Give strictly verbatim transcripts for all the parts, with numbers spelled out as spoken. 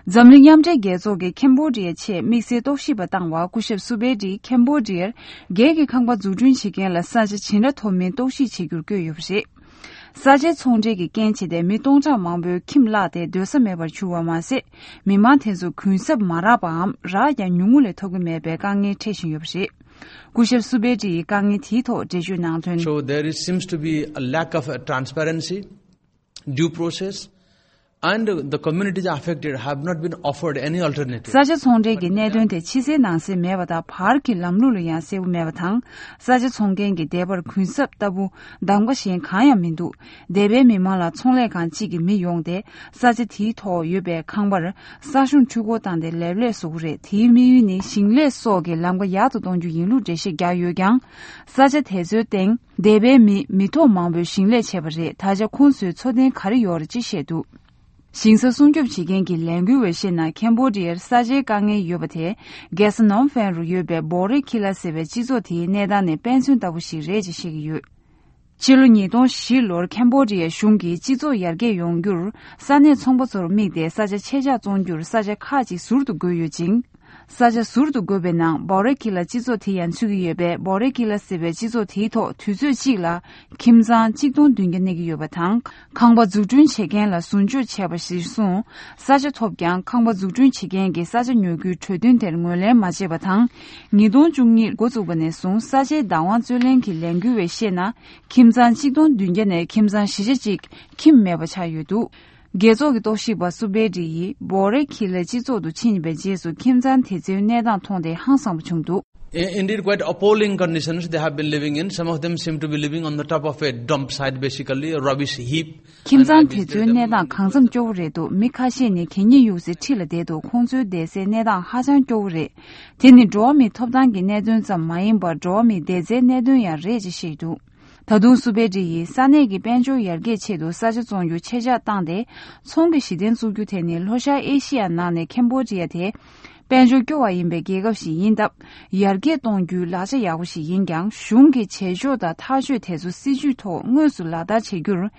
འཛམ་གླིང་མཉམ་འབྲེལ་རྒྱལ་ཚོགས་ཀྱིས་ཁེམ་བྷོ་ཌི་ཡའི་ཆེད་དམིགས་བསལ་རྟོག་ཞིབ་པ་བཏང་བར། སྐུ་ཞབས་སུ་བེ་ཏྲིས་ཁེམ་བྷོ་ཌི་ཡར་སྒེར་གྱི་ཁང་པ་འཛུགས་སྐྲུན་བྱེད་མཁན་ལ་ས་ཆ་ཇི་འདྲ་ཐོབ་མིན་རྟོག་ཞིབ་བྱེད་རྒྱུར་བསྐོས་ཡོད་པ་རེད། ས་ཆའི་ཚོང་འབྲེལ་གྱི་རྐྱེན་བྱས་ཏེ་མི་སྟོང་ཕྲག་མང་པོས་ཁྱིམ་བརླགས་ཏེ་སྡོད་ས་མེད་པར་གྱུར་བ་མ་ཟད། མི་མང་དེ་ཚོ་གུན་གསབ་མ་རག་པའམ་རག་ཀྱང་ཉུང་ངུ་ལས་ཐོབ་ཀྱི་མེད་པའི་དཀའ་ངལ་འཕྲད་བཞིན་ཡོད་པ་རེད། སྐུ་ཞབས་སུ་བེ་ཏྲི་ཡིས་དཀའ་ངལ་དེའི་ཐོག་འགྲེལ་བརྗོད་གནང་དོན། So there is, seems to be a lack of a transparency, due process, and the communities affected have not been offered any alternative. ས་ཆ་ཚོང་འབྲེལ་གྱི་གནད་དོན་དེ་ཕྱི་གསལ་ནང་གསལ་མེད་པ་དང་། བར་གྱི་ལམ་ལུགས་ལ་ཡང་གསལ་པོ་མེད་པ་དང་། ས་ཆ་ཚོང་མཁན་གྱི་བདེ་བར་གུན་གསབ་ལྟ་བུ་གདམ་ག་གཞན་གང་ཡང་མི་འདུག་འདས་པའི་མི་མང་ལ་ཚོང་ལས་ཁང་གཅིག་གི་མི་ཡོང་སྟེ། ས་ཆ་དེའི་ཐོག་ཡོད་པའི་ཁང་པར་ས་གཞུང་འཕྲུལ་འཁོར་བཏང་སྟེ་ལེབ་ལེབ་བཟོ་གི་རེད། དེའི་དམིགས་ཡུལ་ནི་ཞིང་ལས་སོགས་ཀྱི་ལམ་ཁ་ཡག་ཏུ་གཏོང་རྒྱུ་ཡིན་ལུགས་འགྲེལ་བཤད་བརྒྱབ་ཡོད་ཀྱང་། ས་ཆ་དེ་ཚོའི་སྟེང་འདས་པའི་མི་མི་ཐོག་མང་པོས་ཞིང་ལས་བྱས་པ་རེད། ད་ཆ་ཁོང་ཚོའི་འཚོ་རྟེན་ག་རེ་ཡོད་རེད་ཅེས་བཤད་འདུག་ཞིང་ས་སྲུང་སྐྱོབ་བྱེད་མཁན་གྱི་ལས་འགུལ་བས་བཤད་ན། ཁེམ་བྷོ་ཌི་ཡར་ས་ཆའི་དཀའ་ངལ་ཡོད་པ་དེ། རྒྱལ་ས་ནོམ་ཕན་རུ་ཡོད་པའི་བོ་རེ་ཁི་ལ་ཟེར་བའི་སྤྱི་ཚོགས་དེའི་གནས་སྟངས་ནས་དཔེ་མཚོན་ལྟ་བུ་ཞིག་རེད་ཅེས་བཤད་ཀྱི་ཡོད། ཕྱི་ལོ་ཉིས་སྟོང་བཞི་ལོར་ཁེམ་བྷོ་ཌི་ཡའི་གཞུང་གིས་སྤྱི་ཚོགས་ཡར་རྒྱས་ཡོང་རྒྱུར་ས་གནས་ཚོང་པ་ཚོར་དམིགས་ཏེ་ས་ཆ་ཆེད་བཞག་བཙོང་རྒྱུར་ས་ཆ་ཁག་ཅིག་ཟུར་དུ་བགོས་ཡོད་ཅིང་། ས་ཆ་ཟུར་དུ་བགོས་པའི་ནང་བོ་རེ་ཁི་ལ་སྤྱི་ཚོགས་དེ་ཡང་ཚུད་ཀྱི་ཡོད་པས། བོ་རེ་ཁི་ལ་ཟེར་བའི་སྤྱི་ཚོགས་དེའི་ཐོག་དུས་ཚོད་གཅིག་ལ་ཁྱིམ་ཚང་གཅིག་སྟོང་བདུན་བརྒྱ་གནས་ཀྱི་ཡོད་པ་དང་། ཁང་པ་འཛུགས་སྐྲུན་བྱེད་མཁན་ལ་ཟུར་འཇོག་བྱས་པ་གཞིར་བཟུང་ས་ཆ་ཐོབ་ཀྱང་། ཁང་པ་འཛུགས་སྐྲུན་བྱེད་མཁན་གྱིས་ས་ཆ་ཉོ་རྒྱུའི་གྲོས་མཐུན་དེར་ངོས་ལེན་མ་བྱས་པ་དང་། ཉིས་སྟོང་བཅུ་གཉིས་འགོ་བཙུགས་པ་ནས་བཟུང་ས་ཆའི་བདག་དབང་རྩོད་ལེན་གྱི་ལས་འགུལ་བས་བཤད་ན། ཁྱིམ་ཚང་གཅིག་སྟོང་བདུན་བརྒྱ་ནས་ཁྱིམ་ཚང་བཞི་བརྒྱ་གཅིག་ཁྱིམ་མེད་པ་ཆགས་ཡོད་འདུག་རྒྱལ་ཚོགས་ཀྱི་རྟོག་ཞིབ་པ་སུ་བེ་ཏྲི་ཡིས་བོ་རེ་ཁི་ལའི་སྤྱི་ཚོགས་སུ་ཕྱིན་པའི་རྗེས་སུ་ཁྱིམ་ཚང་དེ་ཚོའི་གནས་སྟངས་མཐོང་སྟེ་ཧང་སངས་པ་བྱུང་འདུག In- Indeed, quite appalling conditions they have been living in. Some of them seem to be living on the top of a dump site, basically a rubbish heap. ཁྱིམ་ཚང་དེ་ཚོའི་གནས་སྟངས་གང་འཚམ་སྐྱོ་བོ་རེད་འདུག་མི་ཁ་ཤས་ནི་གད་སྙིགས་གཡུག་སའི་འཁྲིས་ལ་བསྡད་འདུག་ཁོང་ཚོའི་བསྡད་སའི་གནས་སྟངས་ཧ་ཅང་སྐྱོ་བོ་རེད། དེ་ནི་འགྲོ་བ་མིའི་ཐོབ་ཐང་གི་གནད་དོན་ཙམ་མ་ཡིན་པར། འགྲོ་བ་མིའི་བསྡད་སའི་གནད་དོན་ཡང་རེད་ཅེས་བཤད་འདུག་ད་དུང་སུ་བེ་ཏྲི་ཡིས་ས་གནས་ཀྱི་དཔལ་འབྱོར་ཡར་རྒྱས་ཆེད་དུ་ས་ཆ་བཙོང་རྒྱུ་ཆེད་བཞག་བཏང་སྟེ། ཚོང་གི་གཞི་རྟེན་བཙུགས་རྒྱུ་དེ་ནི་ལྷོ་ཤར་ཨེ་ཤི་ཡ་ནང་ནས་ཁེམ་བྷོ་ཌི་ཡ་དེ་དཔལ་འབྱོར་སྐྱོ་བ་ཡིན་པའི་རྒྱལ་ཁབ་ཞིག་ཡིན་སྟབས། ཡར་རྒྱས་གཏོང་རྒྱུའི་ལག་ཆ་ཡག་པོ་ཞིག་ཡིན་ཀྱང་། གཞུང་གི་བྱེད་ཕྱོགས་དང་ཐག་གཅོད་དེ་ཚོ་སྲིད་ཇུས་ཐོག་དངོས་སུ་ལག་བསྟར་བྱེད་རྒྱུར།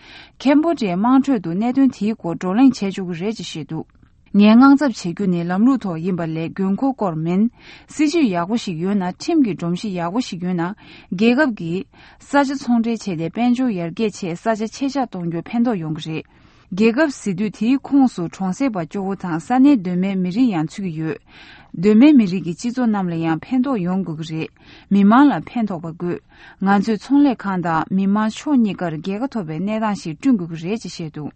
ཁེམ་བྷོ་ཌི་ཡའི་དམངས་ཁྲོད་དུ་གནད་དོན་དེའི་སྐོར་བགྲོ་གླེང་བྱེད་ཆོག་གི་རེད་ཅེས་བཤད་འདུག་ངས་དངངས་འཚབ་བྱེད་རྒྱུ་ནི་ལམ་ལུགས་ཐོག་ཡིན་པ་ལས་དགོས་མཁོ་སྐོར་མིན། སྲིད་ཇུས་ཡག་པོ་ཞིག་ཡོད་ན། ཁྲིམས་ཀྱི་སྒྲོམ་གཞི་ཡག་པོ་ཞིག་ཡོད་ན། རྒྱལ་ཁབ་ཀྱིས་ས་ཆ་ཚོང་འབྲེལ་བྱས་ཏེ་དཔལ་འབྱོར་ཡར་རྒྱས་ཆེད་ས་ཆ་ཆེད་བཞག་གཏོང་རྒྱུར་ཕན་ཐོགས་ཡོང་གི་རེད། རྒྱལ་ཁབ་ཟེར་དུས་དེའི་ཁོངས་སུ་གྲོང་གསེབ་པ་སྐྱོ་བོ་དང་ས་གནས་གདོད་མའི་མི་རིགས་ཡང་ཚུད་ཀྱི་ཡོད། གདོད་མའི་མི་རིགས་ཀྱི་སྤྱི་ཚོགས་རྣམས་ལ་ཡང་ཕན་ཐོགས་ཡོང་དགོས་ཀྱི་རེད། མི་མང་ལ་ཕན་ཐོགས་པ་དགོས། ང་ཚོས་ཚོང་ལས་ཁང་དང་མི་མང་ཕྱོགས་གཉིས་ཀར་རྒྱལ་ཁ་ཐོབ་པའི་གནས་སྟངས་ཤིག་བསྐྲུན་དགོས་ཀྱི་རེད་ཅེས་བཤད་འདུག་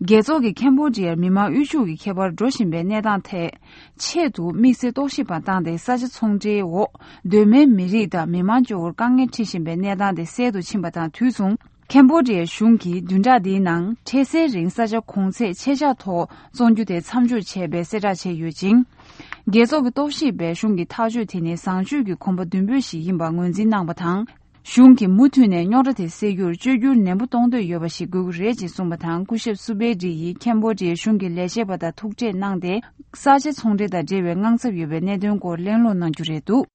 རྒྱལ་ཚོགས་ཀྱིས་ཁེམ་བྷོ་ཌི་ཡར་མི་མང་དབུལ་ཕྱུག་གི་ཁྱད་པར་འགྲོ་བཞིན་པའི་གནས་སྟངས་ཐད་ཆེད་དུ་དམིགས་བསལ་རྟོག་ཞིབ་པ་བཏང་སྟེ། ས་ཆ་ཚོང་འབྲེལ་འོག་གདོད་མའི་མི་རིགས་དང་མི་མང་སྐྱོ་བོར་དཀའ་ངལ་འཕྲད་བཞིན་པའི་གནས་སྟངས་དེ་སེལ་དུ་ཕྱིན་པ་དང་དུས་མཚུངས། ཁེམ་བྷོ་ཌི་ཡའི་གཞུང་གིས་བདུན་ཕྲག་འདིའི་ནང་འཕྲལ་སེལ་རིང་ས་ཆ་གོང་ཚད་ཆེད་བཞག་ཐོག་བཙོང་རྒྱུ་དེ་མཚམས་འཇོག་བྱས་པའི་གསལ་བསྒྲགས་བྱས་ཡོད་ཅིང་། རྒྱལ་ཚོགས་ཀྱི་རྟོག་ཞིབ་པས་གཞུང་གི་ཐག་གཅོད་དེ་ནི་བཟང་སྤྱོད་ཀྱི་གོམ་པ་མདུན་སྤོས་ཤིག་ཡིན་པ་ངོས་འཛིན་གནང་བ་དང་། གཞུང་གིས་མུ་མཐུད་ནས་རྙོག་དྲ་དེ་སེལ་རྒྱུར་བཅོས་བསྒྱུར་ནན་པོ་གཏོང་འདོད་ཡོད་པ་ཞིག་དགོས་ཀྱི་རེད་ཅེས་གསུངས་པ་དང་། སྐུ་ཞབས་སུ་བེ་ཏྲི་ཡིས་ཁེམ་བྷོ་ཌི་ཡའི་གཞུང་གི་ལས་བྱེད་པ་དང་ཐུག་འཕྲད་གནང་སྟེ། ས་ཆ་ཚོང་འབྲེལ་དང་འབྲེལ་བའི་དངངས་འཚབ་ཡོད་པའི་གནད་དོན་སྐོར་གླེང་སློང་གནང་རྒྱུ་རེད་འདུག